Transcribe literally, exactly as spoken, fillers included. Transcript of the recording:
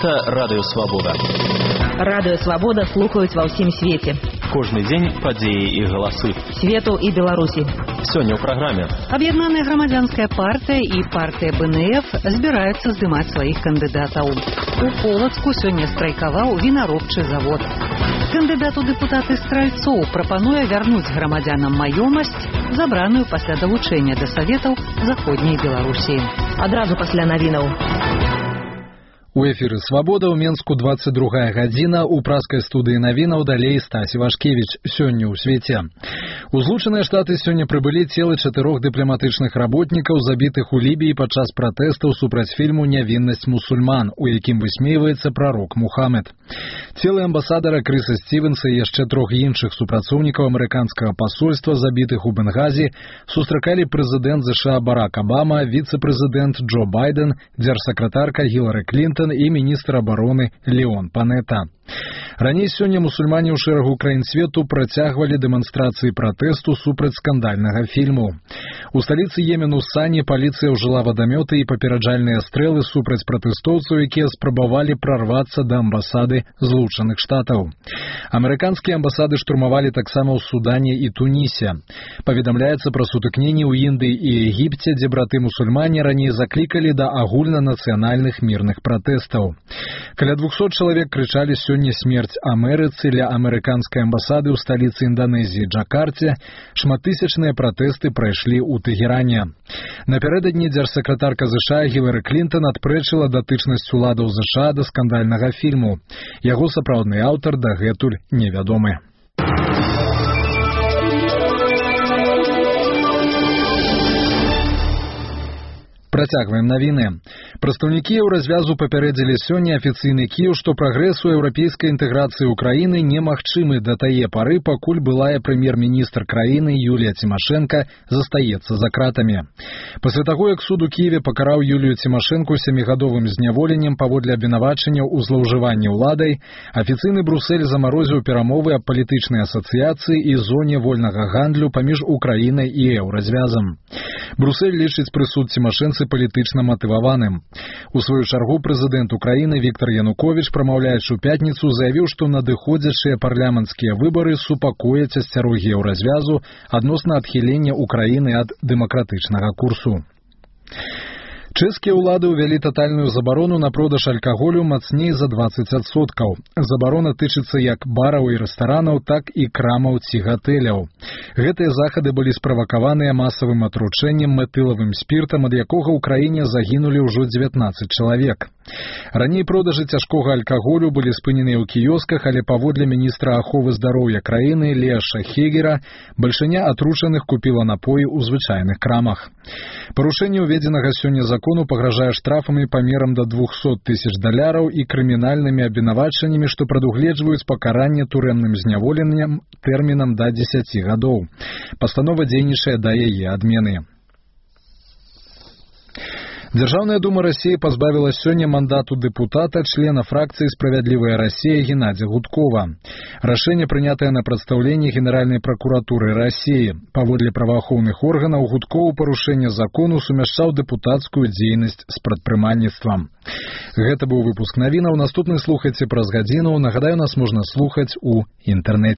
Гэта Радыё Свабода. Радыё Свабода слухаюць ва ўсім свеце. Кожны дзень падзеі і галасы. Свету і Беларусі. Сёння ў праграме. Аб'яднаная грамадзянская партыя і партыя бэ эн эф збіраюцца здымаць сваіх кандыдатаў. У Полацку сёння страйкаваў вінаробчы завод. Кандыдат у дэпутаты Стральцоў прапануе вярнуць грамадзянам маёмасць, забраную пасля далучэння да саветаў заходняй Беларусі. Адразу пасля навінаў. У эфіры «Свабода» ў Менску двадцать другая гадзіна, у праскай студыі навінаў далей Стась Івашкевіч. Сёння ў свеце. У Злучаныя Штаты сёння прыбылі целы чатырох дыпламатычных работнікаў, забітых у Лібіі падчас пратэстаў супраць фільму «Нявіннасць мусульман», у якім высмейваецца прарок Мухаммед. Целы амбасадара Крыса Стівенса і яшчэ трох іншых супрацоўнікаў амерыканскага пасольства, забітых у Бенгазі, сустракалі прэзідэнт ЗША Барак Абама, віцэ-прэзідэнт Джо Байден, дзяржсакратарка Гілары Клінтон і міністр абароны Леон Панета. Раней сёння мусульмане ў шэрагу краін свету працягвалі дэманстрацыі пратэсту супраць скандальнага фільму. У сталіцы Йемену Сані паліцыя ўжыла вадамёты і папераджальныя стрэлы супраць пратэстоўцаў, якія спрабавалі прарвацца да амбасады Злучаных Штатаў. Амерыканскія амбасады штурмавалі таксама ў Судане і Тунісе. Паведамляецца пра сутыкненні ў Індыі і Егіпце, дзе браты-мусульмане раней заклікалі да агульнанацыянальных мірных пратэстаў. Каля двухсот чалавек крычалі сёння смерць Амерыцы ля амерыканскай амбасады ў сталіцы Інданезіі Джакарце. Шматтысячныя пратэсты прайшлі ў Тэгеране. Напярэдадні дзяржсакратарка ЗША Гілары Клінтон адпрэчыла датычнасць уладаў ЗША да скандальнага фільму. Яго сапраўдны аўтар дагэтуль невядомы. Працягваем навіны. Прадстаўнікі еўразвязу папярэдзілі сёння афіцыйны Кіеў, што прагрэс у еўрапейскай інтэграцыі ўкраіны немагчымы да тае пары, пакуль былая прэм'ер-міністр краіны Юлія Цімашэнка застаецца за кратамі. Пасля таго, як суд у Кіеве пакараў Юлію Цімашэнку сямігадовым зняволеннем паводле абвінавачанняў у злоўжыванні ўладай, афіцыйны Брусэль замарозіў перамовы аб палітычнай асацыяцыі і зоне вольнага гандлю паміж Украінай і еўразвязам. Брусэль лічыць прысуд Цімашэнцы палітычна матываваным. У сваю чаргу прэзідэнт Украіны Віктар Януковіч, прамаўляючы ў пятніцу, заявіў, што надыходзячыя парламенцкія выбары супакояць асцярогі еўразвязу адносна адхілення Украіны ад дэмакратычнага курсу. Чэшскія ўлады ўвялі татальную забарону на продаж алкаголю мацней за дваццаць адсоткаў. Забарона тычыцца як бараў і рэстаранаў, так і крамаў ці гатэляў. Гэтыя захады былі справакаваныя масавым атручэннем метылавым спіртам, ад якога ў краіне загінулі ўжо дзевятнаццаць чалавек. Раней продажы цяжкога алкаголю былі спыненыя ў кіёсках, але паводле міністра аховы здароўя краіны Леаша Хегера бальшыня атручаных купіла напоі ў звычайных крамах. Парушэнне ўведзенага сёння закону пагражае штрафамі памерам да двухсот тысяч даляраў і крымінальнымі абвінавачаннямі, што прадугледжваюць пакаранне турэмным зняволеннем тэрмінам да дзесяці гадоў. Пастанова дзейнічае да яе адмены. Дзяржаўная дума Расіі пазбавіла сёння мандату дэпутата, члена фракцыі «Справядлівая Расія» Геннадзя Гудкова. Рашэнне прынятае на прадстаўленні Генеральнай пракуратуры Расіі. Паводле праваахоўных органаў, Гудков у парушэнне закону сумяшчаў дэпутацкую дзейнасць з прадпрымальніцтвам. Гэта быў выпуск навінаў. Наступны слухайце праз гадзіну. Нагадаю, нас можна слухаць у інтэрнэце.